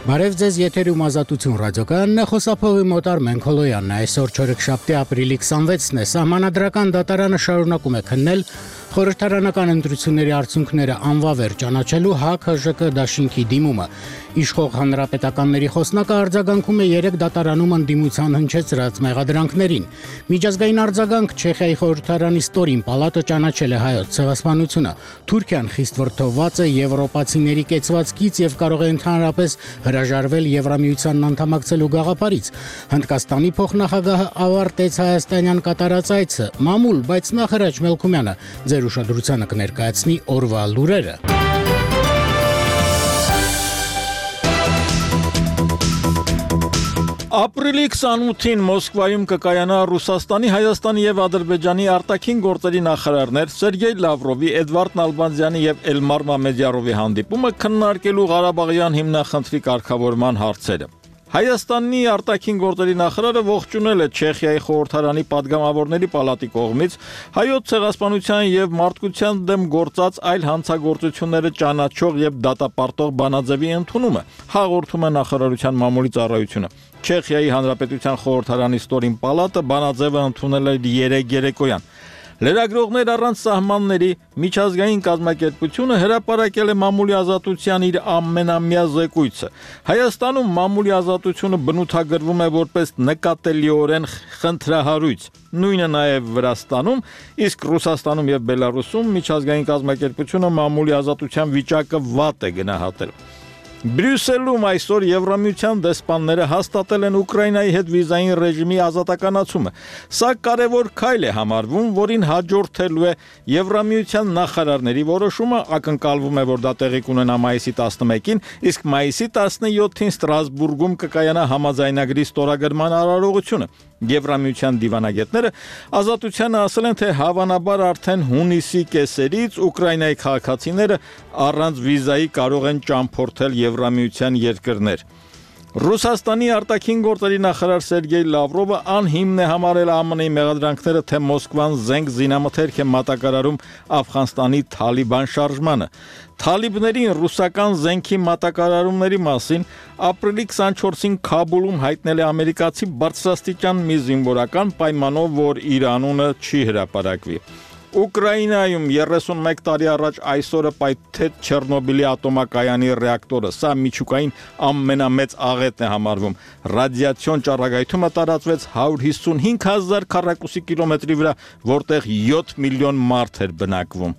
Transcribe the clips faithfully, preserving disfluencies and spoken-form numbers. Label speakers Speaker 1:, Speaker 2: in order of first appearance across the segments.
Speaker 1: Բարև ձեզ, եթերում Ազատություն ռադիոկայանն է, խոսափողի մոտ Արմեն Քոլոյանն է, այսօր չորեքշաբթի ապրիլի քսանվեցն է, Սահմանադրական դատարանը շարունակում է քննել խորհրդարանական ընտրությունների արդյունքները անվավեր ճանաչելու ՀԱԿ-ՀԺԿ դաշինքի դիմումը։ Իշխող հանրապետականների խոսնակը արձագանքում է երեք դատարանում ընդդիմության հնչեցրած մեղադրանքներին։ Միջազգային արձագանք Չեխիայի խորհրդարանի ստորին պալատը ճանաչել է հայոց ցեղասպանությունը։ Թուրքիան խիստ վրդովված է եվրոպացիների կեցվածքից եւ կարող է ընդհանրապես հրաժարվել Եվրամիությանն անդամակցելու գաղափարից։ Հնդկաստանի փոխնախագահը ավարտեց հայաստանյան կատարած այցը։ Մամուլ, բայց նախ Հրաչ Մելքումյանը ձեր ուշադրությանը կներկայացնի օրվա լուրերը։
Speaker 2: Ապրիլի քսանութին Մոսկվայում կկայանա Ռուսաստանի, Հայաստանի եւ Ադրբեջանի արտաքին գործերի նախարարներ Սերգեյ Լավրովի, Էդվարդ Նալբանդյանի եւ Էլմար Մամեդյարովի հանդիպումը քննարկելու Ղարաբաղյան հիմնախնդրի կարգավորման հարցերը։ Հայաստանի արտաքին գործերի նախարարը ողջունել է Չեխիայի խորհրդարանի падգամավորների պալատի կողմից հայոց ցեղասպանության եւ մարդկության դեմ գործած այլ հանցագործությունները ճանաչող եւ դատապարտող բանաձևի ընդունումը, հաղորդում է նախարարության մամուլի ծառայությունը։ Չեխիայի հանրապետության խորհրդարանի ստորին պալատը բանաձևը ընդունել է երեկ երեկոյան։ Լրագրողներ առանց սահմանների միջազգային կազմակերպությունը հրապարակել է մամուլի ազատության իր ամենամյա զեկույցը։ Հայաստանում մամուլի ազատությունը բնութագրվում է որպես նկատելիորեն խնդրահարույց։ Նույնը նաև Վրաստանում, իսկ Ռուսաստանում եւ Բելարուսում միջազգային կազմակերպությունը մամուլի ազատության վիճակը վատ է գնահատել։ Բրյուսելում այսօր Եվրամիության դեսպանները հաստատել են Ուկրաինայի հետ վիզային ռեժիմի ազատականացումը։ Սա կարևոր քայլ է համարվում, որին հաջորդելու է Եվրամիության նախարարների որոշումը, ակնկալվում է, որ դա տեղի կունենա մայիսի տասնմեկին, իսկ մայիսի տասնյոթին Ստրասբուրգում կկայանա համաձայնագրի ստորագրման արարողությունը։ Եվրամիության դիվանագետները ազատությանը ասել են, թե հավանաբար արդեն հունիսի կեսերից Ուկրաինայի քաղաքացիները առանց վիզայի կարող են ճամփորդել Եվրամիության երկրներ։ Ռուսաստանի արտաքին գործերի նախարար Սերգեյ Լավրովը անհիմն է համարել ԱՄՆ-ի մեղադրանքները, թե Մոսկվան զենք զինամթերք է մատակարարում Աֆղանստանի Թալիբան շարժմանը։ Թալիբներին ռուսական զենքի մատակարարումների մասին ապրիլի քսանչորսին Քաբուլում հայտնել է ամերիկացի բարձրաստիճան մի զինվորական, պայմանով, որ իր անունը չի հրապարակվի։ Ուկրաինայում երեսունմեկ տարի առաջ այսօրը պայթեց Չեռնոբիլի ատոմակայանի ռեակտորը։ Սա միջուկային ամենամեծ աղետն է համարվում։ Ռադիացիոն ճառագայթումը տարածվեց հարյուր հիսունհինգ հազար քառակուսի կիլոմետրի վրա, որտեղ յոթ միլիոն մարդ էր բնակվում։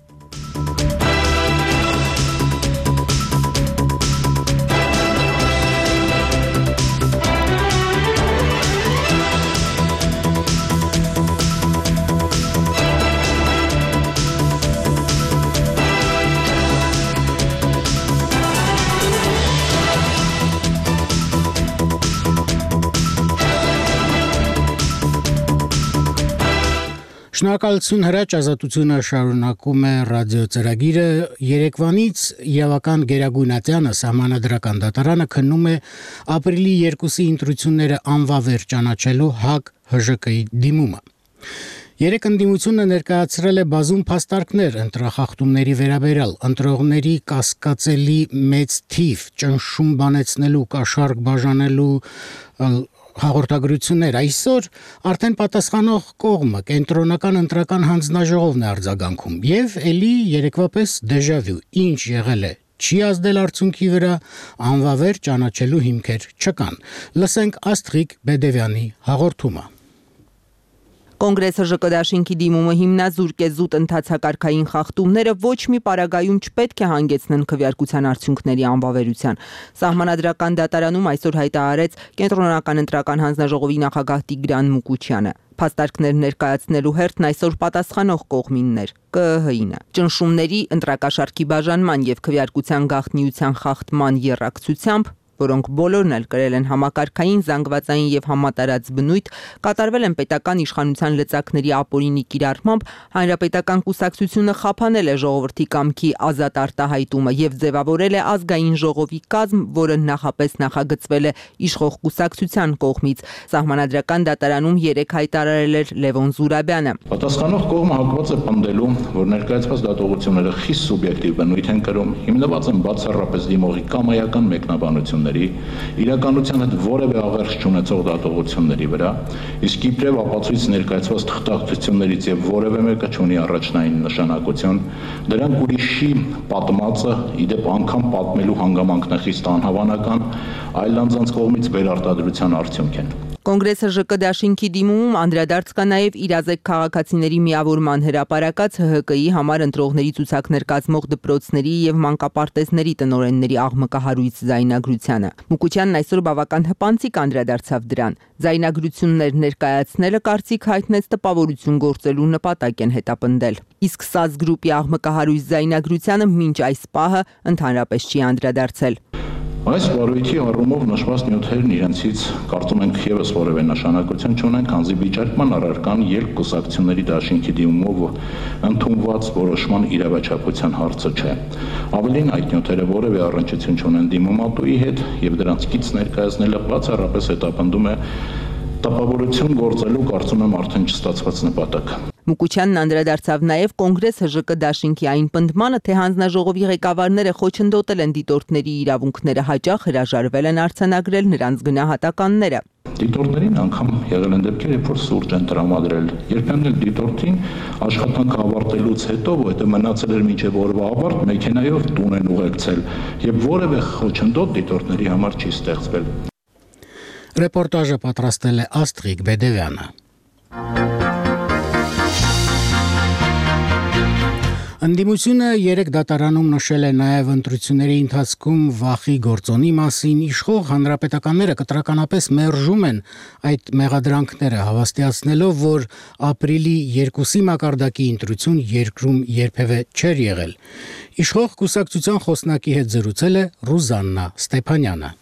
Speaker 1: Շնորհակալություն Հրաչ, ազատությունը շարունակում է ռադիոծրագիրը։ Երեկվանից Եվական Գերագույնատյանը Սահմանադրական դատարանը քննում է ապրիլի երկուսի ընտրությունները անվավեր ճանաչելու ՀԱԿ-ՀԺԿ-ի դիմումը։ Երեք ընդդիմությունը ներկայացրել է բազում փաստարկներ ընտրախախտումների վերաբերյալ, ընտրողների կասկածելի մեծ թիվ, ճնշում բանեցնելու, կաշառք բաժանելու հաղորդագրություններ։ Այսօր արդեն պատասխանող կողմը կենտրոնական ընտրական հանձնաժողովն է արձագանքում եւ ելի երեկվապես դեժավյու, ինչ եղել է չի ազդել արդյունքի վրա, անվավեր ճանաչելու հիմքեր չկան։ Լսենք Աստղիկ Բեդևյանի հաղորդումը։
Speaker 3: Կոնգրեսը ԺԿ դաշինքի դիմումը հիմնազուրկ է զուտ ընթացակարգային խախտումները ոչ մի պարագայում չպետք է հանգեցնեն քվեարկության արդյունքների անվավերության։ Սահմանադրական դատարանում այսօր հայտարարեց Կենտրոնական ընտրական հանձնաժողովի նախագահ Տիգրան Մուկուչյանը։ Փաստարկներ ներկայացնելու հերթն այսօր պատասխանող կողմիններ Կ Ը Հ-ինը։ Ճնշումների, ընտրակաշառքի բաժանման եւ քվեարկության գաղտնիության խախտման եռակցությամբ, որոնք բոլորն էլ կրել են համակարգային, զանգվածային եւ համատարած բնույթ, կատարվել են պետական իշխանության լծակների ապօրինի կիրառմամբ, հանրապետական կուսակցությունը խափանել է ժողովրդի կամքի ազատ արտահայտումը եւ ձևավորել է ազգային ժողովի կազմ, որը նախապես նախագծվել է իշխող կուսակցության կողմից։ Սահմանադրական դատարանում երեք հայտարարել էր Լևոն Զուրաբյանը։
Speaker 4: Պատասխանող կողմը հակված է պնդելու, որ ներկայացված դատողությունները խիստ սուբյեկտիվ բնույթ են կրում, հիմնված են բացառապես դիմողի կամայական մեկնաբանությունների ընտրությունների, իրականության հետ որևէ աղերս չունեցող դատողությունների վրա, իսկ իբրև ապացույց ներկայացված թղթակցություններից եւ որևէ մեկը չունի առաջնային նշանակություն, դրանք ուրիշի պատմածը, իդեպ անգամ պատմելու հանգամանքն է խիստ անհավանական, այլ անձանց կողմից վերարտադրության արդյունք են։
Speaker 3: Կոնգրեսը ԺԿ դաշինքի դիմումում անդրադարձ կա նաև իրազեկ քաղաքացիների միավորման հրապարակած Հ Հ Կ-ի համար ընտրողների ցուցակներ կազմող դպրոցների եւ մանկապարտեզների տնօրենների աղմկահարույց զայնագրությանը։ Մուկուչյանն այսօր բավական հպանցիկ անդրադարձավ դրան։ Զայնագրություններ ներկայացնելը կարծիք հայտնեց տպավորություն գործելու նպատակ են հետապնդել։ Իսկ ՍԱԶ գրուպի աղմկահարույց զայնագրությանը մինչ այս պահը ընդհանրապես չի անդրադարձել։
Speaker 4: Այս վարույթի առումով նշված նյութերն իրենցից կարծում ենք եւս որևէ նշանակություն չունեն, քանզի վիճարկման առարկան երկկուսակցությունների դաշինքի դիմումով ընդունված որոշման իրավաչափության հարցը չէ։ Ավելին, այդ նյութերը որևէ առնչություն չունեն դիմումատուի հետ եւ դրանց կից ներկայացնելը բացառապես հետապնդում է տպավորություն գործելու, կարծում եմ, արդեն չստացված նպատակ։
Speaker 3: Մուկուչյանն անդրադարձավ նաև Կոնգրես Հ Ժ Կ դաշինքի այն պնդմանը, թե հանձնաժողովի ղեկավարները խոչընդոտել են դիտորդների իրավունքները, հաճախ հրաժարվել են արձանագրել նրանց գնահատականները։
Speaker 4: Դիտորդներին անգամ եղել են դեպքեր, երբ որ սուրճ են տրամադրել։ Երբեմն էլ դիտորդին աշխատանքը ավարտելուց հետո, որտեղ մնացել էր մինչև օրվա ավարտ, մեքենայով տուն են ուղեկցել, եւ որևէ խոչընդոտ դիտորդների համար չի ստեղծվել։
Speaker 1: Ռեպորտաժը պատրաստել է Աստղիկ Բեդևյանը։ Ընդդիմությունը երեք դատարանում նշել է նաև ընտրությունների ընթացքում վախի գործոնի մասին, իշխող հանրապետականները կտրականապես մերժում են այդ մեղադրանքները, հավաստիացնելով, որ ապրիլի երկուսի մակարդակի ընտրություն երկրում երբևէ չէր եղել։ Իշխող կուսակցության խոսնակի հետ զրուցել է Ռուզաննա Ստեփանյանը։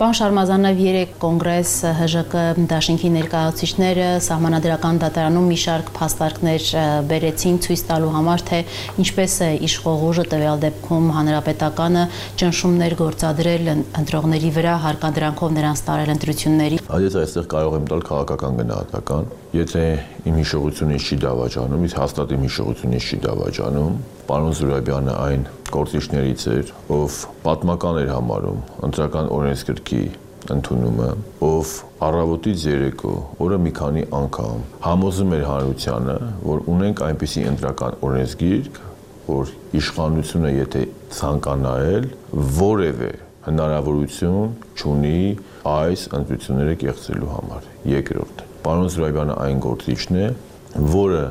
Speaker 5: Պարոն Շարմազանով երեք կոնգրես Հ Ժ Կ դաշինքի ներկայացուցիչները սահմանադրական դատարանում մի շարք փաստարկներ բերեցին ցույց տալու համար, թե ինչպես է իշխող ուժը տվյալ դեպքում հանրապետականը ճնշումներ գործադրել ընտրողների վրա, հարկադրանքով նրանց տարել ընտրությունների։
Speaker 6: Այս այստեղ կարող եմ տալ քաղաքական գնահատական, եթե իմ հիշողությունից չի դավաճանում, իսկ հաստատ իմ հիշողությունից չի դավաճանում, պարոն Զուրաբյանը այն գործիչներից էր, ով պատմական էր համարում ընտրական օրենսգրքի ընդունումը, ով առավոտից երեկո օրը մի քանի անգամ համոզում էր հանրությանը, որ ունենք այնպիսի ընտրական օրենսգիրք, որ իշխանությունը եթե ցանկանա էլ որևէ հնարավորություն չունի այս ընտրությունները կեղծելու համար։ Երկրորդ, պարոն Զուրաբյանը այն գործիչն է, որը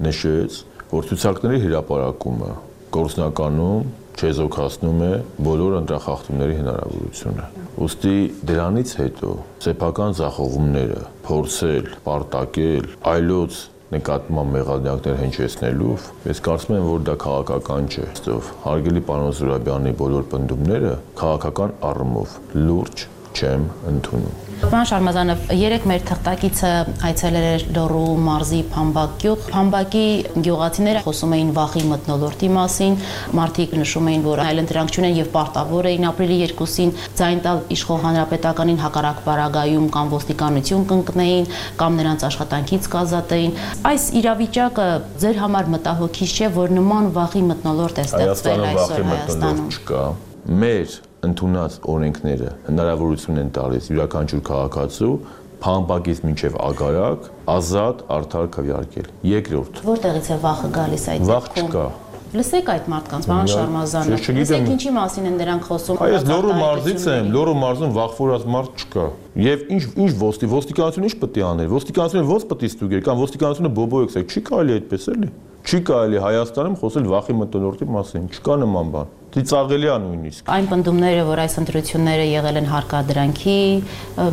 Speaker 6: նշեց, որ ցուցակների հրապարակումը գործնականում չեզոքացնում է բոլոր ընտրախախտումների հնարավորությունը։ Ուստի դրանից հետո սեփական ձախողումները փորձել, պարտակել, այլոց նկատմամբ մեղադրանքներ հնչեցնելով, ես կարծում եմ, որ դա քաղաքական չէ։ Ըստով հարգելի պարոն Զուրաբյանի բոլոր պնդումները քաղաքական առումով լուրջ չեմ ընդունում։
Speaker 5: Պարոն Շարմազանով, երեք մեր թղթակիցը այցելել էր Լոռու մարզի Փամբակ գյուղ։ Փամբակի գյուղացիները խոսում էին վախի մթնոլորտի մասին, մարդիկ նշում էին, որ այլընտրանք չունեն եւ պարտավոր էին ապրիլի երկուսին ձայն տալ իշխող հանրապետականին, հակառակ պարագայում կամ ոստիկանություն կընկնեին, կամ նրանց աշխատանքից կազատեին։ Այս իրավիճակը ձեր համար մտահոգիչ չէ, որ նման վախի մթնոլորտ է ստեղծվել այսօր Հայաստանում։
Speaker 6: Մեր ընդունած օրենքները հնարավորություն են տալիս յուրաքանչյուր քաղաքացու Փամբակից մինչև Ագարակ ազատ արդար քվեարկել։ Երկրորդ,
Speaker 5: որտեղից է վախը գալիս այդ
Speaker 6: վախ չկա։
Speaker 5: Լսեք այդ մարդկանց, պարոն Շարմազանով, լսեք ինչի մասին են դրանք խոսում։
Speaker 6: Այս Լոռու մարզից եմ, Լոռու մարզում վախվորած մարդ չկա։ Եվ ինչ ինչ ոստի ոստիկանությունը ինչ պետք է աներ։ Ոստիկանությունը ո՞նց պետք է ստուգեր, կամ ոստիկանությունը բոբոյексեք, չի կարելի այդպես էլի։ Չի կարելի Հայաստանում խոսել վախի մթնոլորտի մասին, չկա նման բան։ Ծիծաղելի է նույնիսկ։
Speaker 5: Այն պնդումները, որ այս ընտրությունները եղել են հարկադրանքի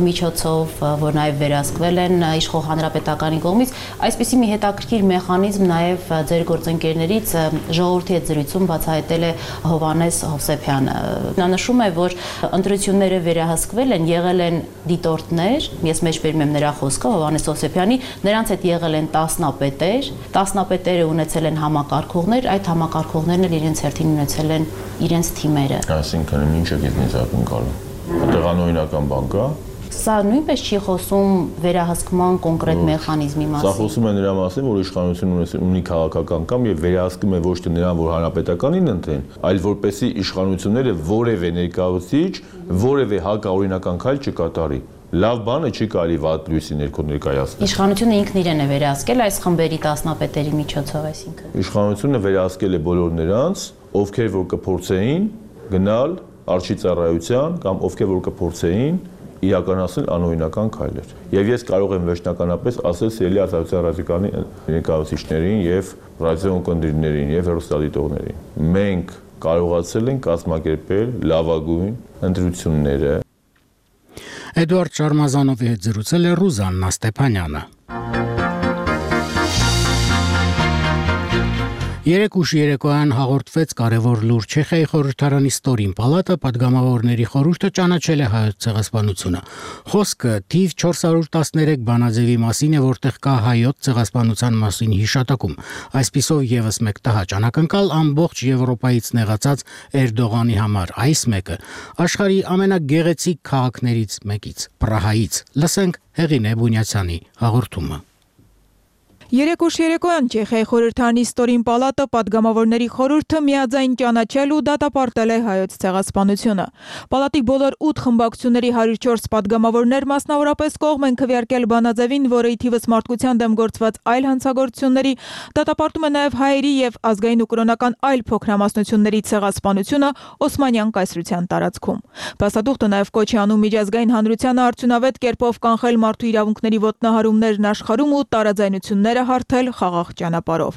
Speaker 5: միջոցով, որ նաև վերահսկվել են իշխող հանրապետականի կողմից, այսպիսի մի հետաքրքիր մեխանիզմ նաև ձեր գործընկերներից ժողովրդի հետ զրույցում բացահայտել է Հովհաննես Հովսեփյանը։ Նա նշում է, որ ընտրությունները վերահսկվել են, եղել են դիտորդներ, ես մեջբերում եմ նրա խոսքը Հովհաննես Հովսեփյանի, նրանց հետ եղել են տասնապետեր, տասնապետերը ունեցել են համակարգողներ, այդ համակարգողներն էլ իրենց հերթին ունեցել են իրենց թիմերը։
Speaker 6: Այսինքն ինչ է գտնից ակնկալում։ Տեղանօրինական բան կա,
Speaker 5: Սա նույնպես չի խոսում վերահսկման կոնկրետ մեխանիզմի մասին։
Speaker 6: Սա խոսում է նրա մասին, որ իշխանությունը ունի քաղաքական կամ եւ վերահսկում է ոչ թե նրան, որ հանրապետականին ընտրեն, այլ որպեսզի իշխանությունները որևէ ներկայացուցիչ, որևէ հակաօրինական քայլ չկատարի։ Լավ բանը չի կարելի վատ լույսի ներքո ներկայացնել։
Speaker 5: Իշխանությունը ինքն իրեն է վերահսկել այս խմբերի տասնապետերի միջոցով, այսինքն։
Speaker 6: Իշխանությունը վերահսկել է բոլոր նրանց, ովքեր որ կփորձեին գնալ արչի ծառայության կամ ովքեր որ կփորձեին իրականացնել անօրինական քայլեր։ Եվ ես կարող եմ վերջնականապես ասել սիրելի ազատության ռադիկալի ներկայացուցիչներին եւ ռադիոընկերներին եւ հեռուստադիտողներին։ Մենք կարողացել ենք կազմակերպել լավագույն ընտրությունները։
Speaker 1: Էդուարդ Շարմազանովի հետ զրուցել է Ռուզաննա Ստեփանյանը։ Երեք ուշ երեկոյան հաղորդվեց կարևոր լուր Չեխիայի խորհրդարանի ստորին պալատը падգամավորների խորհուրդը ճանաչել է հայոց ցեղասպանությունը։ Խոսքը թիվ չորս հարյուր տասներեք բանաձևի մասին է, որտեղ կա հայոց ցեղասպանության մասին հիշատակում։ Այսպիսով եւս մեկ տհաճ անակնկալ ամբողջ Եվրոպայից նեղացած Էրդողանի համար, այս մեկը աշխարհի ամենագեղեցիկ քաղաքներից մեկից՝ Պրահայից։ Լսենք Հեղինե Բունյացյանի հաղորդումը։
Speaker 7: Երեք ուշ երեկոյան Չեխիայի խորհրդարանի ստորին պալատը падգամավորների խորհուրդը միաձայն ճանաչել ու դատապարտել է հայոց ցեղասպանությունը։ Պալատի բոլոր ութ խմբակցությունների հարյուր չորս падգամավորներ մասնավորապես կողմ են քվեարկել բանաձևին, որը ի թիվս մարդկության դեմ գործված այլ հանցագործությունների դատապարտում է նաև հայերի եւ ազգային ու կրոնական այլ փոքրամասնությունների ցեղասպանությունը Օսմանյան կայսրության տարածքում։ Բասադուխտը նաև կոչ է անում միջազգային հանրությանը արդյունավետ կերպով կանխել մարդու իրավունքների ոտնահարումներն աշխարհում ու տարաձայնություններ հարթել խաղաղ ճանապարհով։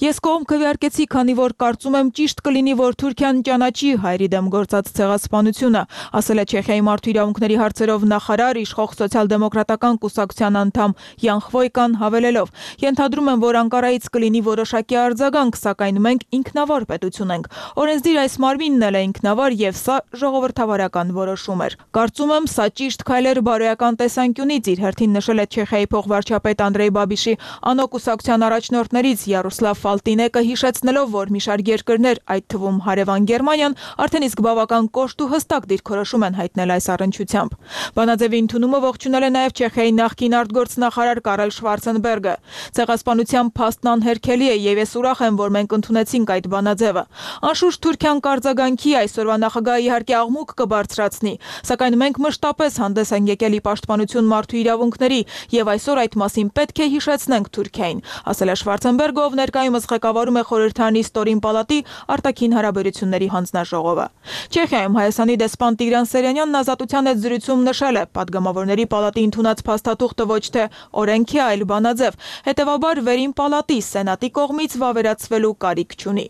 Speaker 7: Ես կողմ քվեարկեցի, քանի որ կարծում եմ ճիշտ կլինի, որ Թուրքիան ճանաչի հայերի դեմ գործած ցեղասպանությունը, ասել է Չեխիայի մարդու իրավունքների հարցերով նախարար, իշխող սոցիալ-դեմոկրատական կուսակցության անդամ Յան Խվոյկան հավելելով. Ենթադրում եմ, որ Անկարայից կլինի որոշակի արձագանք, սակայն մենք ինքնավար պետություն ենք։ Օրենսդիր այս մարմինն էլ է ինքնավար եւ սա ժողովրդավարական որոշում էր։ Կարծում եմ, սա ճիշտ քայլ էր բարոյական տեսանկյունից, իր հերթին նշել է Չեխիայի փոխվարչապետ Անդրեյ Բաբիշի կուսակցության առաջնորդներից Յարոսլավ Ֆալտինեկը հիշեցնելով, որ մի շարք երկրներ, այդ թվում հարևան Գերմանիան, արդեն իսկ բավական կոշտ ու հստակ դիրքորոշում են հայտնել այս առնչությամբ։ Բանաձևի ընդունումը ողջունել է նաև Չեխիայի նախկին արտգործնախարար Կարել Շվարցենբերգը։ Ցեղասպանության փաստն անհերքելի է եւ ես ուրախ եմ, որ մենք ընդունեցինք այդ բանաձևը։ Անշուշտ Թուրքիան կարձագանքի այսօրվա նախագահը իհարկե աղմուկ կբարձրացնի, սակայն մենք մշտապես հանդես ենք եկել ի պաշտպանություն մարդու իրավունքների եւ այսօր այդ մասին պետք է հիշեցնենք Թուրքիային, ասել է Շվարցենբերգը, ով ներկայումս ղեկավարում է խորհրդարանի ստորին պալատի արտաքին հարաբերությունների հանձնաժողովը։ Չեխիայում Հայաստանի դեսպան Տիգրան Սերյանյանն ազատության հետ զրույցում նշել է, падգամավորների պալատի ընդունած փաստաթուղթը ոչ թե օրենք է, այլ բանաձև, հետևաբար վերին պալատի սենատի կողմից վավերացվելու կարիք չունի։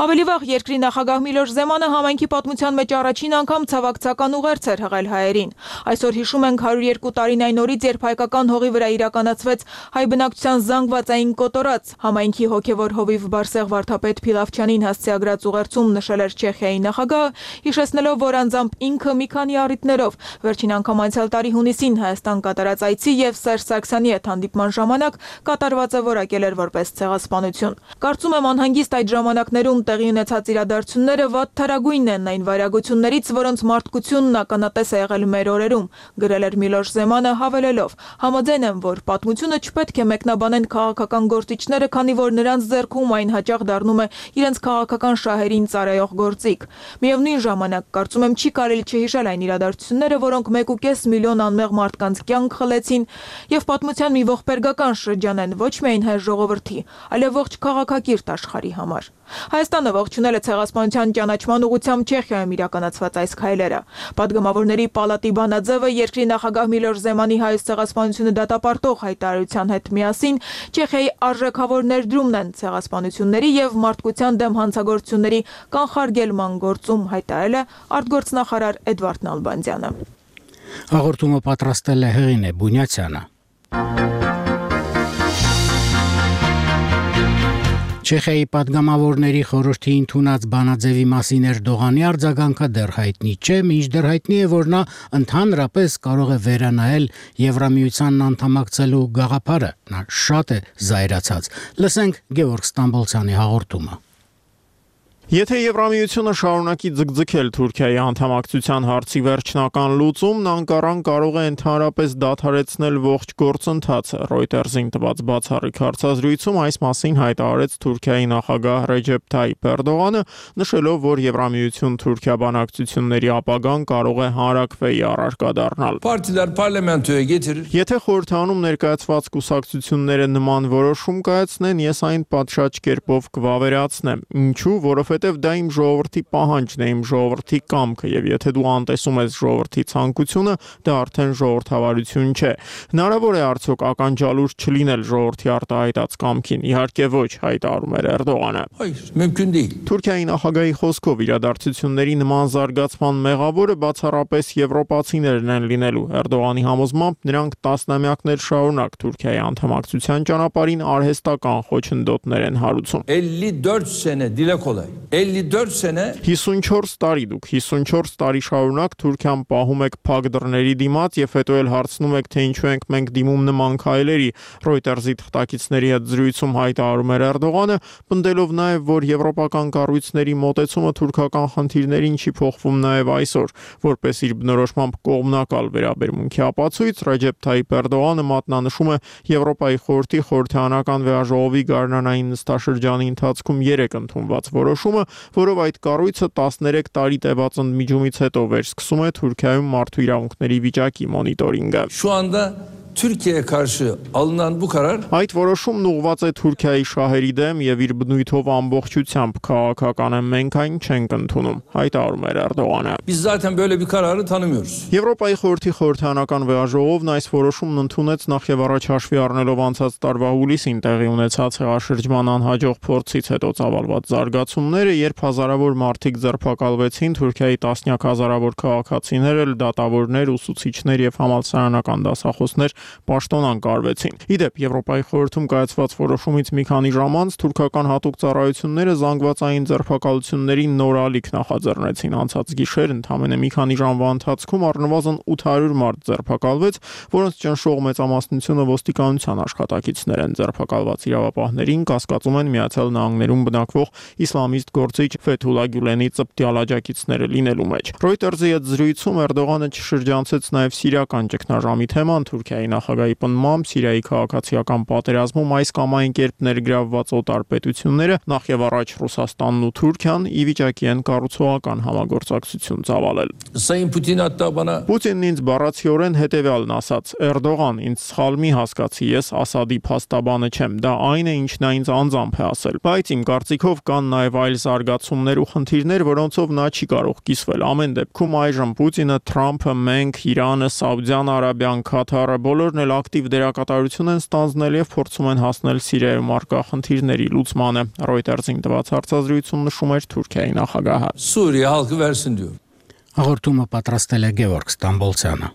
Speaker 7: Ավելի վաղ երկրի նախագահ Միլոշ Զեմանը համայնքի պատմության մեջ առաջին անգամ ցավակցական ուղերձ էր հղել հայերին։ Այսօր հիշում ենք հարյուր երկու տարին այն օրից, երբ հայկական հողի վրա իրականացվեց հայ բնակչության զանգվածային կոտորած, համայնքի հոգևոր հովիվ Բարսեղ վարդապետ Փիլավչյանին հասցեագրած ուղերձում նշել էր Չեխիայի նախագահը, հիշեցնելով, որ անձամբ ինքը մի քանի առիթներով վերջին անգամ անցյալ տարի հունիսին Հայաստան կատարած այցի եւ Սերժ Սարգսյանի հետ հանդիպման ժամանակ կատարվածը որակել էր որպես ցեղասպանություն։ Կարծում եմ անհանգիստ այդ ժամանակներում տեղի ունեցած իրադարձությունները վատ թարագույնն են այն վայրագություններից, որոնց մարդկությունն ականատես է եղել մեր օրերում, գրել էր Միլոշ Զեմանը հավելելով. Համաձայն եմ, որ պատմությունը չպետք է մեկնաբանեն քաղաքական գործիչները, քանի որ նրանց ձեռքում այն հաճախ դառնում է իրենց քաղաքական շահերին ծառայող գործիք։ Միևնույն ժամանակ կարծում եմ չի կարելի չհիշել այն իրադարձությունները, որոնք մեկ ու կես միլիոն անմեղ մարդկանց կյանք խլեցին եւ պատմության մի ողբերգական շրջան են ոչ միայն հայ ժողովրդի, այլև ողջ քաղաքակիրթ աշխարհի համար։ Հայաստանը ողջունել է ցեղասպանության ճանաչման ուղղությամբ Չեխիայում իրականացված այս քայլերը։ Պատգամավորների պալատի բանաձևը երկրի նախագահ Միլոշ Զեմանի հայոց ցեղասպանությունը դատապարտող հայտարարության հետ միասին Չեխիայի արժեքավոր ներդրումն են ցեղասպանությունների եւ մարդկության դեմ հանցագործությունների կանխարգելման գործում, հայտարարել է արտգործնախարար Էդվարդ Նալբանդյանը։
Speaker 1: Հաղորդումը պատրաստել է Հեղինե Բունյացյանը։ Չեխիայի падգամավորների խորհրդի ընդունած բանաձևի մասին Էրդողանի արձագանքը դեռ հայտնի չէ, մինչդեռ հայտնի է, որ նա ընդհանրապես կարող է վերանայել Եվրամիությանն անդամակցելու գաղափարը։ Նա շատ է զայրացած։ Լսենք Գևորգ Ստամբոլցյանի հաղորդումը։
Speaker 8: Եթե Եվրամիությունը շարունակի ձգձգել Թուրքիայի անդամակցության հարցի վերջնական լուծումն, Անկարան կարող է ընդհանրապես դադարեցնել ողջ գործընթացը։ Reuters-ին տված բացառիկ հարցազրույցում այս մասին հայտարարեց Թուրքիայի նախագահ Ռեջեփ Թայիփ Էրդողանը, նշելով, որ Եվրամիություն-Թուրքիա բանակցությունների ապագան կարող է հանրաքվեի առարկա դառնալ։
Speaker 9: Partilər parlamentoya getirir.
Speaker 8: Եթե խորհրդանում ներկայացված կուսակցությունները նման որոշում կայացնեն, ես այն պատշաճ կերպով կվավերացնեմ։ Ինչու՞, որովհետև դա իմ ժողովրդի պահանջն է, իմ ժողովրդի կամքը, եւ եթե դու անտեսում ես ժողովրդի ցանկությունը, դա արդեն ժողովրդավարություն չէ։ Հնարավոր է արդյոք ականջալուր չլինել ժողովրդի արտահայտած կամքին։ Իհարկե ոչ, հայտարարում էր Էրդողանը։
Speaker 9: Hayır, mümkün değil.
Speaker 8: Թուրքիայի նախագահի խոսքով իրադարձությունների նման զարգացման մեղավորը բացառապես եվրոպացիներն են լինելու։ Էրդողանի համոզմամբ նրանք տասնամյակներ շարունակ Թուրքիայի անդամակցության ճանապարհին արհեստական խոչընդոտներ են հարուցում։
Speaker 9: elli dört sene dile kolay. elli dört sene
Speaker 8: հիսունչորս տարի դուք հիսունչորս տարի շարունակ Թուրքիան պահում եք փակ դռների դիմաց եւ հետո էլ հարցնում եք թե ինչու ենք մենք դիմում նման քայլերի։ Reuters-ի թղթակիցների հետ զրույցում հայտարարում էր Էրդողանը, պնդելով նաեւ, որ եվրոպական կառույցների մոտեցումը թուրքական խնդիրներին չի փոխվում նաեւ այսօր, որպես իր բնորոշմամբ կողմնակալ վերաբերմունքի ապացույց Ռեջեփ Թայիփ Էրդողանը մատնանշում է Եվրոպայի խորհրդի խորհրդարանական վեաժողովի գարնանային նստաշրջանի ընթացքում երեք ընդունված որոշումը, որով այդ կառույցը տասներեք տարի տևած ընդմիջումից հետո վերսկսում է Թուրքիայում մարդու իրավունքների վիճակի մոնիտորինգը։
Speaker 9: şu anda Türkiye'ye karşı alınan bu karar
Speaker 8: Այդ որոշումն ուղղված է Թուրքիայի շահերի դեմ եւ իր բնույթով ամբողջությամբ քաղաքական է, մենք այն չենք ընդունում, հայտարարում էր Էրդողանը։
Speaker 9: biz zaten böyle bir kararı tanımıyoruz.
Speaker 8: Եվրոպայի խորհրդի խորհրդարանական վեաժողովն այս որոշումն ընդունեց նախ եւ առաջ հաշվի առնելով անցած տարվա հուլիսին տեղի ունեցած հեղաշրջման անհաջող փորձից հետո ծավալված զարգացումները, երբ հազարավոր մարդիկ ձերբակալվեցին, Թուրքիայի տասնյակ հազարավոր քաղաքացիներ, դատավորներ, ուսուցիչներ եւ համալսարանական դասախոսներ պաշտոնան կարվեցին։ Իդեպ Եվրոպայի խորհրդում կայացված որոշումից մի քանի ժամ անց թուրքական հատուկ ծառայությունները զանգվածային ձերբակալությունների նոր ալիք նախաձեռնեցին։ Անցած գիշեր ընդամենը մի քանի ժամվա ընթացքում առնվազն ութ հարյուր մարդ ձերբակալվեց, որոնց ճնշող մեծամասնությունը ոստիկանության աշխատակիցներ են։ Ձերբակալված իրավապահներին կասկածում են Միացյալ Նահանգներում բնակվող իսլամիստ գործիչ Ֆեթուլա Գյուլենի ծպտյալ աջակիցները լինելու մեջ։ Reuters-ի հետ զրույցում Էրդողանը չշրջանցեց նաև սիրիական ճգնաժամի թեման։ Թուրքիայի նախագահի պնդմամբ Սիրիայի քաղաքացիական պատերազմում այս կամ այն կերպ ներգրավված օտար պետությունները, նախ եւ առաջ Ռուսաստանն ու Թուրքիան, ի վիճակի են կառուցողական համագործակցություն ծավալել։
Speaker 9: Sayın Putin hatta bana
Speaker 8: Պուտինն ինձ բառացիորեն հետևյալն ասաց. Էրդողան, ինձ սխալ մի հասկացի, ես Ասադի փաստաբանը չեմ, դա այն է, ինչն նա ինձ անձամբ է ասել։ Բայց իմ կարծիքով կան նաև այլ զարգացումներ ու խնդիրներ, որոնցով նա չի կարող կիսվել։ Ամեն դեպքում այժմ Պուտինը, Թրամփը, մենք, Իրանը, Սաուդյան Արաբիան, Քաթարը բոլորն էլ ակտիվ դերակատարություն են ստանձնել եւ փորձում են հասնել Սիրիայում առկա խնդիրների լուծմանը։ Reuters-ին տված հարցազրույցում նշում էր Թուրքիայի նախագահը։
Speaker 9: Suriye halkı versin diyor.
Speaker 1: Հաղորդումը պատրաստել է Գևորգ Ստամբոլցյանը։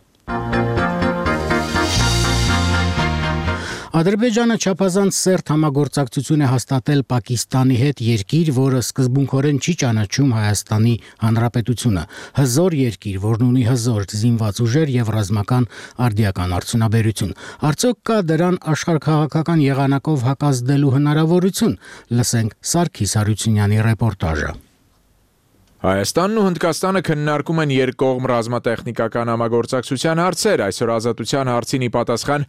Speaker 1: Ադրբեջանը չափազանց սերտ համագործակցություն է հաստատել Պակիստանի հետ, երկիր, որը սկզբունքորեն չի ճանաչում Հայաստանի Հանրապետությունը, հզոր երկիր, որն ունի հզոր զինված ուժեր եւ ռազմական արդիական արդյունաբերություն։ Արդյոք կա դրան աշխարհքաղաքական եղանակով հակազդելու հնարավորություն։ Լսենք Սարգիս Հարությունյանի ռեպորտաժը։
Speaker 10: Հայաստանն ու Հնդկաստանը քննարկում են երկկողմ ռազմատեխնիկական համագործակցության հարցեր։ Այսօր Ազատության հարցին ի պատասխան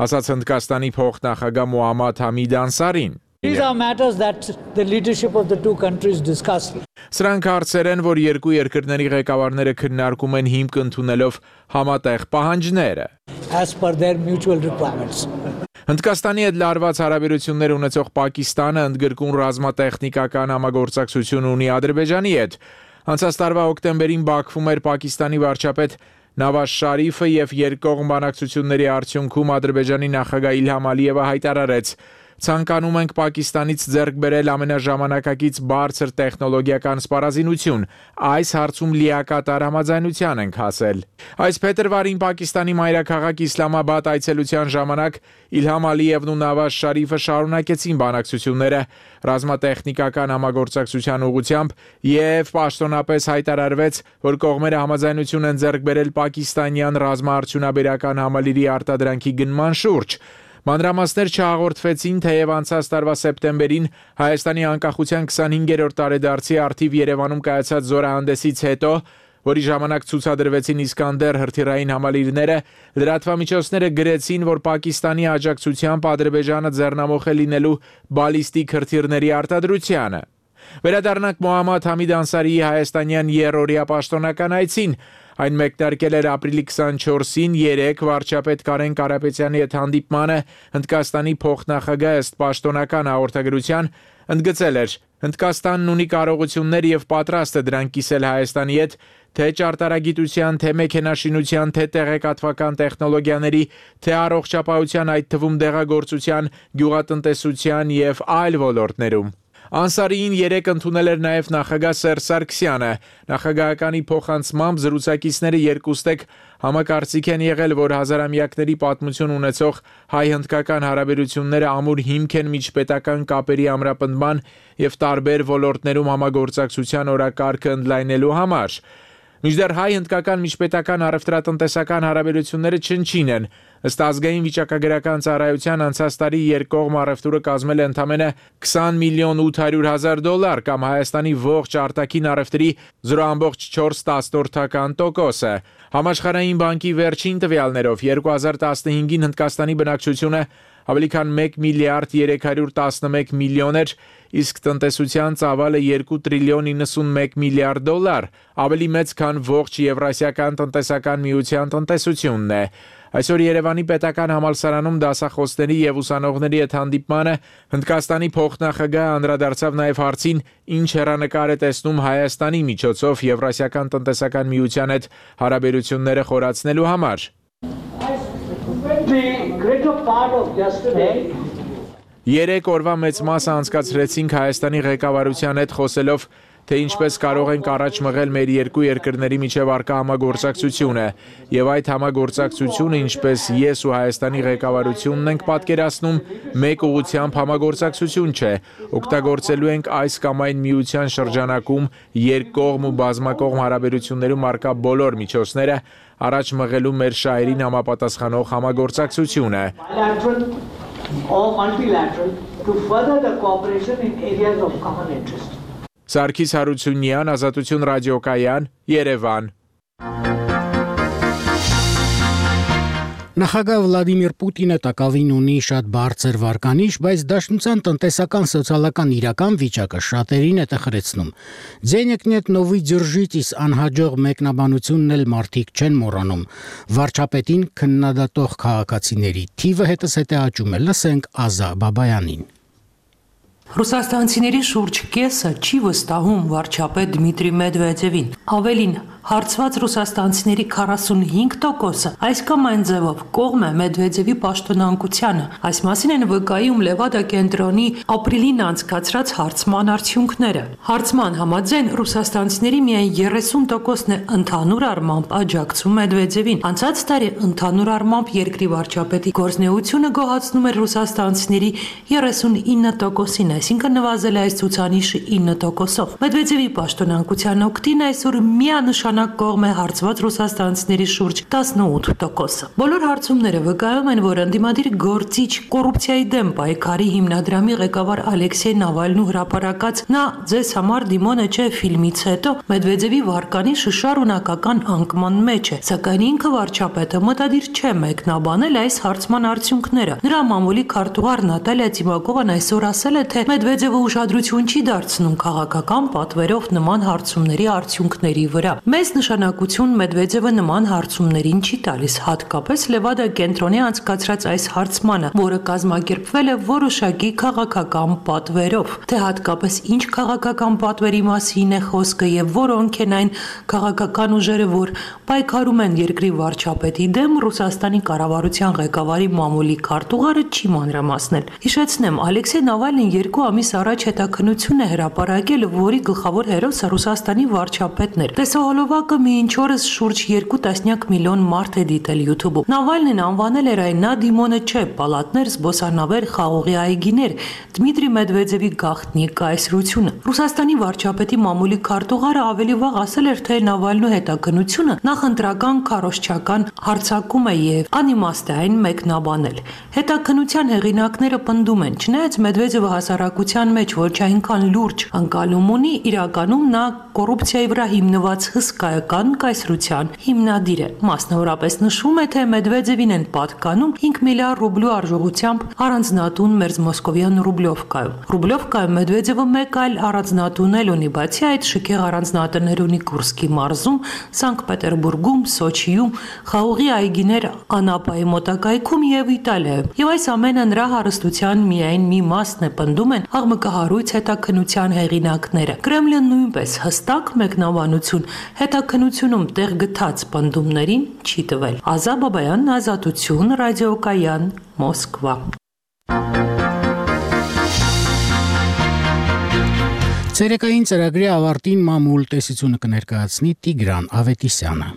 Speaker 10: ասաց Հնդկաստանի փոխնախագահ Մոհամմադ Համիդ Անսարին։
Speaker 11: These are matters that the leadership of the two countries discussed.
Speaker 10: Սրանք հարցեր են, որ երկու երկրների ղեկավարները քննարկում են հիմք ընդունելով համատեղ պահանջները։
Speaker 11: As per their mutual requirements.
Speaker 10: Հնդկաստանի հետ լարված հարաբերություններ ունեցող Պակիստանը ընդգրկուն ռազմատեխնիկական համագործակցություն ունի Ադրբեջանի հետ։ Անցած տարվա հոկտեմբերին Բաքվում էր Պակիստանի վարչապետ Նավազ Շարիֆը եւ երկկողմ բանակցությունների արդյունքում Ադրբեջանի նախագահ Իլհամ Ալիևը հայտարարեց. Ցանկանում ենք Պակիստանից ձեռք բերել ամենաժամանակակից բարձր տեխնոլոգիական սպառազինություն։ Այս հարցում լիակատար համաձայնության ենք հասել։ Այս փետրվարին Պակիստանի մայրաքաղաք Իսլամաբադ այցելության ժամանակ Իլհամ Ալիևն ու Նավազ Շարիֆը շարունակեցին բանակցությունները ռազմատեխնիկական համագործակցության ուղղությամբ եւ պաշտոնապես հայտարարվեց, որ կողմերը համաձայնություն են ձեռք բերել պակիստանյան ռազմաարդյունաբերական համալիրի արտադրանքի գնման շուրջ։ Մանրամասներ չհաղորդվեցին, թեև անցած տարվա սեպտեմբերին Հայաստանի անկախության քսանհինգերորդ տարեդարձի առթիվ Երևանում կայացած զորահանդեսից հետո, որի ժամանակ ցուցադրվեցին Իսկանդեր հրթիռային համալիրները, լրատվամիջոցները գրեցին, որ Պակիստանի աջակցությամբ Ադրբեջանը ձեռնամուխ է լինելու բալիստիկ հրթիռների արտադրությանը։ Վերադառնանք Մոհամմադ Համիդ Անսարիի հայաստանյան երրորդյա պաշտոնական այցին։ Այն մեկնարկել էր ապրիլի քսանչորսին երեկ վարչապետ Կարեն Կարապետյանի հետ հանդիպմանը Հնդկաստանի փոխնախագահ ըստ պաշտոնական հաղորդագրության ընդգծել էր. Հնդկաստանն ունի կարողություններ եւ պատրաստ է դրանք կիսել Հայաստանի հետ, թե ճարտարագիտության, թե մեքենաշինության, թե տեղեկատվական տեխնոլոգիաների, թե առողջապահության, այդ թվում դեղագործության, գյուղատնտեսության եւ այլ ոլորտներում։ Անսարիին երեկ ընդունել էր նաև նախագահ Սերժ Սարգսյանը։ Նախագահականի փոխանցմամբ զրուցակիցները երկուստեք համակարծիք են եղել, որ հազարամյակների պատմություն ունեցող հայ-հնդկական հարաբերությունները ամուր հիմք են միջպետական կապերի ամրապնդման եւ տարբեր ոլորտներում համագործակցության օրակարգը ընդլայնելու համար։ Մինչդեռ հայ-հնդկական միջպետական առևտրատնտեսական հարաբերությունները չնչին են։ Ըստ ազգային վիճակագրական ծառայության անցած տարի երկկողմ առևտուրը կազմել է ընդամենը քսան միլիոն ութ հարյուր հազար դոլար կամ Հայաստանի ողջ արտաքին առևտրի զրո բացարձակ չորս տոկոսը։ Համաշխարհային բանկի վերջին տվյալներով երկու հազար տասնհինգին Հնդկաստանի բնակչությունը ավելի քան մեկ միլիարդ երեք հարյուր տասնմեկ միլիոն էր, իսկ տնտեսության ծավալը երկու տրիլիոն նվաթ միլիարդ դոլար, ավելի մեծ քան ողջ Եվրասիական տնտեսական միության տնտեսությունն է։ Այսօր Երևանի պետական համալսարանում դասախոսների եւ ուսանողների հետ հանդիպմանը Հնդկաստանի փոխնախագահը անդրադարձավ նաեւ հարցին, ինչ հեռանկար է տեսնում Հայաստանի միջոցով Եվրասիական տնտեսական միության հետ հարաբերությունները խորացնելու համար։ Երեք օրվա մեծ մասը անցկացրեցինք Հայաստանի ղեկավարության հետ խոսելով, թե ինչպես կարող ենք առաջ մղել մեր երկու երկրների միջև առկա համագործակցությունը, եւ այդ համագործակցությունը, ինչպես ես ու Հայաստանի ղեկավարությունն ենք պատկերացնում, մեկ ուղղությամբ համագործակցություն չէ, օգտագործելու ենք այս կամ այն միության շրջանակում երկկողմ ու բազմակողմ հարաբերություններում առկա բոլոր միջոցները առաջ մղելու մեր շահերին համապատասխանող համագործակցությունը։ Սարգիս Հարությունյան, Ազատություն ռադիոկայան, Երևան։
Speaker 1: Նախագահ Վլադիմիր Պուտինը տակավին ունի շատ բարձր վարկանիշ, բայց Դաշնության տնտեսական սոցիալական իրական վիճակը շատերին է տխրեցնում։ Ձենեկ նետ նովի ձյուրջից անհաջող մեկնաբանությունն էլ մարդիկ չեն մոռանում։ Վարչապետին քննադատող քաղաքացիների թիվը հետզհետե աճում է, լսենք Ազա Բաբայանին։
Speaker 12: Ռուսաստանցիների շուրջ կեսը չի վստահում վարչապետ Դմիտրի Մեդվեդևին։ Ավելին, հարցված ռուսաստանցիների քառասունհինգ տոկոսը այս կամ այն ձևով կողմ է Մեդվեդևի պաշտոնանկությանը։ Այս մասին են վկայում Լևադա կենտրոնի ապրիլին անցկացրած հարցման արդյունքները։ Հարցման համաձայն ռուսաստանցիների միայն երեսուն տոկոսն է ընդհանուր առմամբ աջակցում Մեդվեդևին։ Անցած տարի ընդհանուր առմամբ երկրի վարչապետի գործունեությունը գոհացնում էր ռուսաստանցիների երեսունինը տոկոսին, այսինքն նվազել է այս ցուցանիշը ինը տոկոսով։ Մեդվեդևի պաշտոնանկության օգտին այսօր միանշանակ կողմ է հարցված ռուսաստանցիների շուրջ տասնութ տոկոսը։ Բոլոր հարցումները վկայում են, որ ընդդիմադիր գործիչ կոռուպցիայի դեմ պայքարի հիմնադրամի ղեկավար Ալեքսեյ Նավալնու հրապարակած «Նա ձեզ համար դիմոնը չէ» ֆիլմից հետո Մեդվեդևի վարկանիշը շարունակական անկման մեջ է, սակայն ինքը վարչապետը մտադիր չէ մեկնաբանել այս հարցման արդյունքները։ Նրա մամուլի քարտուղար Նատալիա Տիմակովան այսօր ասել է, թե Մեդվեդևը ուշադրություն չի դարձնում քաղաքական պատվերով նման հարցումների արդյունքների վրա։ Մեծ նշանակություն Մեդվեդևը նման հարցումներին չի տալիս, հատկապես Լևադա կենտրոնի անցկացրած այս հարցմանը, որը կազմակերպվել է որոշակի քաղաքական պատվերով։ Թե հատկապես ինչ քաղաքական պատվերի մասին է խոսքը եւ որոնք են այն քաղաքական ուժերը, որ պայքարում են երկրի վարչապետի դեմ, Ռուսաստանի կառավարության ղեկավարի մամուլի քարտուղարը չի մանրամասնել։ Հիշեցնեմ, Ալեքսեյ Նավալնին երկու ամիս առաջ հետաքննություն է հրապարակել, որի գլխավոր հերոսը Ռուսաստանի վարչապետն էր։ Տեսահոլովակ վիդեոհավաքը մինչ օրս շուրջ երկու տասնյակ միլիոն մարդ է դիտել YouTube-ում։ Նավալնին անվանել էր այն նա դիմոնը չէ, պալատներ, զբոսանավեր, խաղողի այգիներ, Դմիտրի Մեդվեդևի գաղտնի կայսրությունը։ Ռուսաստանի վարչապետի մամուլի քարտուղարը ավելի վաղ ասել էր, թե Նավալնու հետաքննությունը նախընտրական քարոզչական հարձակում է եւ անիմաստ է այն մեկնաբանել։ Հետաքննության հեղինակները պնդում են, չնայած Մեդվեդևը հասարակության մեջ ոչ այնքան լուրջ անկալում ունի, իրականում նա կոռուպցիայի վրա հիմնված հսկայական կայսրության հիմնադիր է։ Մասնավորապես նշվում է, թե Մեդվեդևին են պատկանում հինգ միլիարդ ռուբլու արժողությամբ առանձնատուն մերձ մոսկովյան Ռուբլովկայում։ Ռուբլովկայում Մեդվեդևը մեկ այլ առանձնատուն էլ ունի, բացի այդ շքեղ առանձնատներ ունի Կուրսկի մարզում, Սանկտ Պետերբուրգում, Սոչիում, խաղողի այգիներ Անապայի մոտակայքում եւ Իտալիայում։ Եվ այս ամենը նրա հարստության միայն մի մասն է, պնդում են աղմկահարույց հետաքննության հեղինակները։ Կրեմլը նույնպես հստակ մեկնաբանություն հետաքննությունում տեղ գտած պնդումներին չի տվել։ Ազա Բաբայան, Ազատություն, ռադիոկայան, Մոսկվա։
Speaker 1: Ցերեկային ծրագրի ավարտին մամուլ տեսությունը կներկայացնի Տիգրան Ավետիսյանը։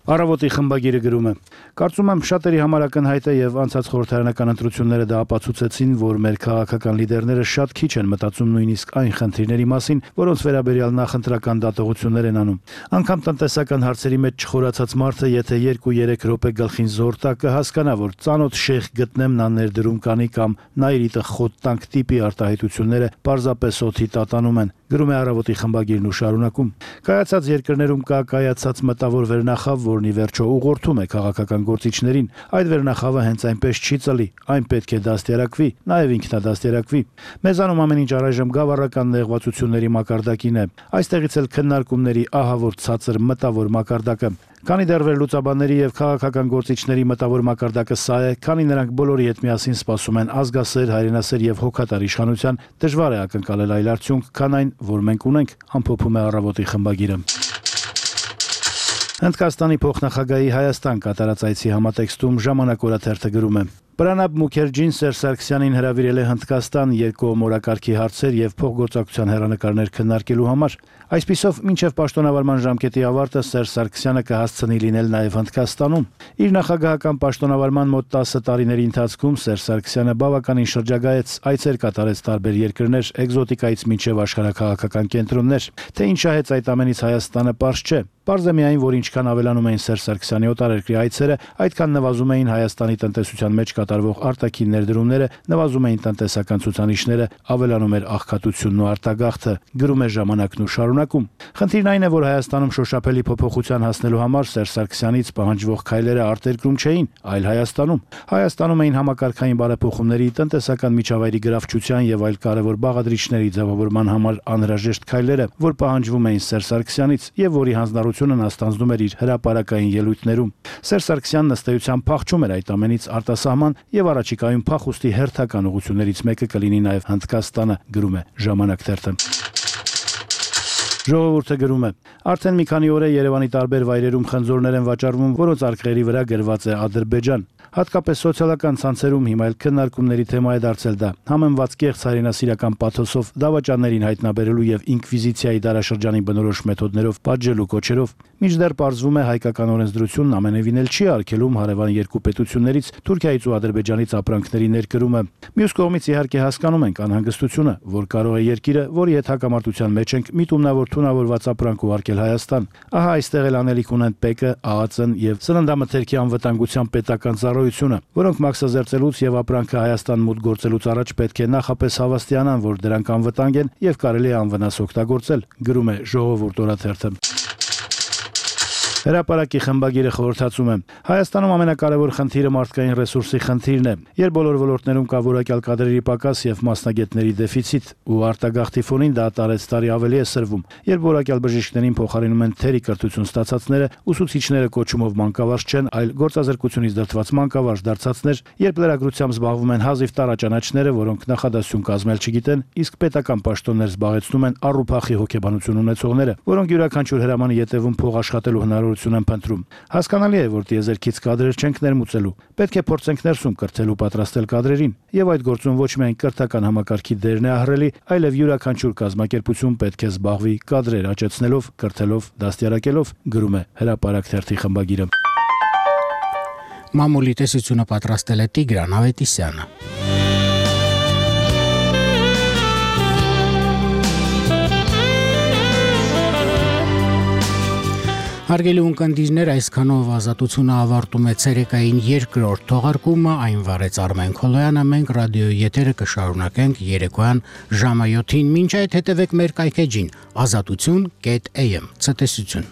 Speaker 13: Առավոտի խմբագիրը գրում է. Կարծում եմ շատերի համար ակնհայտ է եւ անցած խորհրդարանական ընտրությունները դա ապացուցեցին, որ մեր քաղաքական լիդերները շատ քիչ են մտածում նույնիսկ այն խնդիրների մասին, որոնց վերաբերյալ նախընտրական դատողություններ են անում։ Անկամ տնտեսական հարցերի մեջ չխորացած մարդը, եթե երկու-երեք րոպե գլխին զոր տա, կհասկանա, որ ծանոթ շեխ գտնեմ նա ներդրում կանի կամ նայրիտը խոտ տանք տիպի արտահայտությունները պարզապես օդի տատանում են։ Գրում է Առավոտի խմբագիրն ու շարունակում. Կայացած երկրներում կա կայացած մտավոր վերնախավ, որն ի վերջո ուղղորդում է քաղաքական գործիչներին։ Այդ վերնախավը հենց այնպես չի ծլի, այն պետք է դաստիարակվի, նաև ինքնադաստիարակվի։ Մեզանում ամեն ինչ առայժմ գավառական նեղվածությունների մակարդակին է։ Այստեղից էլ քննարկումների ահավոր ցածր մտավոր մակարդակը։ Քանի դեռ վերլուծաբանների եւ քաղաքական գործիչների մտավոր մակարդակը սա է, քանի նրանք բոլորի հետ միասին սպասում են ազգասեր, հայրենասեր եւ հոգատար իշխանության, դժվար է ակնկալել այլ արդյունք, քան այն, որ մենք ունենք, ամփոփում է Առավոտի խմբագիրը։ Հնդկաստանի փոխնախագահի Հայաստան կատարած այցի համատեքստում Ժամանակ օրաթերթը գրում է. Պրանաբ Մուքերջին Սերժ Սարգսյանին հրավիրել է Հնդկաստան երկկողմ օրակարգի հարցեր եւ փոխգործակցության հերանեկարներ քննարկելու համար։ Այսպիսով, մինչև պաշտոնավարման ժամկետի ավարտը Սերժ Սարգսյանը կհասցնի լինել նաեւ Հնդկաստանում։ Իր նախագահական պաշտոնավարման մոտ տասը տարիների ընթացքում Սերժ Սարգսյանը բավականին շրջագայեց, այցեր կատարեց տարբեր երկրներ, էկզոտիկայից մինչև աշխարհաքաղաքական կենտրոններ։ Թե ինչ շահեց այդ ամենից Հայաստանը, պարզ չէ։ Պարզ է միայն, որ ինչքան ավելանում էին Սերժ Սարգսյանի օտարերկրի այցերը, այդքան նվազում էին Հայաստանի տնտեսության մեջ կատարվող արտաքին ներդրումները, նվազում էին տնտեսական ցուցանիշները, ավելանում էր աղքատությունն ու արտագաղթը, գրում է Ժամանակն ու շարունակում։ Խնդիրն այն է, որ Հայաստանում շոշափելի փոփոխության հասնելու համար Սերժ Սարգսյանից պահանջվող քայլերը արտերկրում չէին, այլ Հայաստանում։ Հայաստանում էին համակարգային բարեփոխումների, տնտեսական միջավայրի գրավչության եւ այլ կարևոր բաղադրիչների ձևավորման համար անհրաժեշտ քայլերը, որ պահանջվում էին Սերժ Սարգսյանից եւ որի հանձնառությունն աստանձնում էր իր հրապարակային ելույթներում։ Սերժ Սարգսյանն ըստ էության փախչում էր այդ ամենից արտասահման եւ առաջիկայում փախուստի հերթական ուղղություններից մեկը կլինի նաեւ Հնդկաստանը, գրում է Ժամանակ թերթը։ Ժողովուրդը գրում է. Արդեն մի քանի օր է Երևանի տարբեր վայրերում խնձորներ են վաճառվում, որոնց արկղերի վրա գրված է Ադրբեջան։ Հատկապես սոցիալական ցանցերում հիմա էլ քննարկումների թեմա է դարձել դա։ Համեմված կեղծ հայրենասիրական պաթոսով, դավաճաններին հայտնաբերելու եւ ինկվիզիցիայի դարաշրջանի բնորոշ մեթոդներով պատժելու կոչերով, մինչդեռ պարզվում է հայկական օրենսդրությունն ամենևին էլ չի արգելում հարևան երկու պետություններից Թուրքիայից ու Ադրբեջանից ապրանքների ներկրումը։ Մյուս կողմից իհարկե հասկանում ենք անհանգստությունը, որ կարող է երկիրը, որի հետ հակամարտության մեջ ենք, միտումնավոր թունավորված ապրանք ուղարկել Հայաստան։ Ահա այստեղ էլ անելիք ունեն ՊԿ, ԱԱՑ-ն եւ Սննդամթերքի անվտանգության պետական ծառայությունը, որոնք մաքսազերծելուց եւ ապրանքը Հայաստան մուտք գործելուց առաջ պետք է նախապես հավաստիանան, որ դրանք անվտանգ են եւ կարելի է անվնաս օգտագործել, գրում է Ժողովուրդ օրաթերթը։ Հրապարակի խմբագիրը խորհրդածում է. Հայաստանում ամենակարևոր խնդիրը մարդկային ռեսուրսի խնդիրն է։ Երբ բոլոր ոլորտներում կա որակյալ կադրերի պակաս եւ մասնագետների դեֆիցիտ ու արտագաղթի ֆոնին դա տարեց տարի ավելի է սրվում։ Երբ որակյալ բժիշկներին փոխարինում են թերի կրթություն ստացածները, ուսուցիչները կոչումով մանկավարժ չեն, այլ գործազրկությունից դրդված մանկավարժ դարձածներ, երբ լրագրությամբ զբաղվում են հազիվ տարաճանաչները, որոնք նախադասություն կազմել չգիտեն, իսկ պետական պաշտոններ զբաղեցնում են առուփախի հոգեբանություն ունեցողները, որոնք յուրաքանչյուր հրամանի ետևում փող աշխատելու հնարավոր հնարավորություն են փնտրում։ Հասկանալի է, որ տիեզերքից կադրեր չենք ներմուծելու։ Պետք է փորձենք ներսում կրթելու պատրաստել կադրերին, եւ այդ գործում ոչ միայն կրթական համակարգի դերն է ահռելի, այլև յուրաքանչյուր կազմակերպություն պետք է զբաղվի կադրեր աճեցնելով, կրթելով, դաստիարակելով, գրում է Հրապարակ թերթի խմբագիրը։
Speaker 1: Մամուլի տեսությունը պատրաստել է Տիգրան Ավետիսյանը։ Հարգելի ունկնդիրներ, այսքանով ազատությունը ավարտում է ցերեկային երկրորդ թողարկումը, այն վարեց Արմեն Քոլոյանը, մենք ռադիոյի եթերը կշարունակենք երեկոյան ժամը յոթին, մինչ այդ հետևեք մեր կայքեջին ազատություն կետ am, ցտեսություն։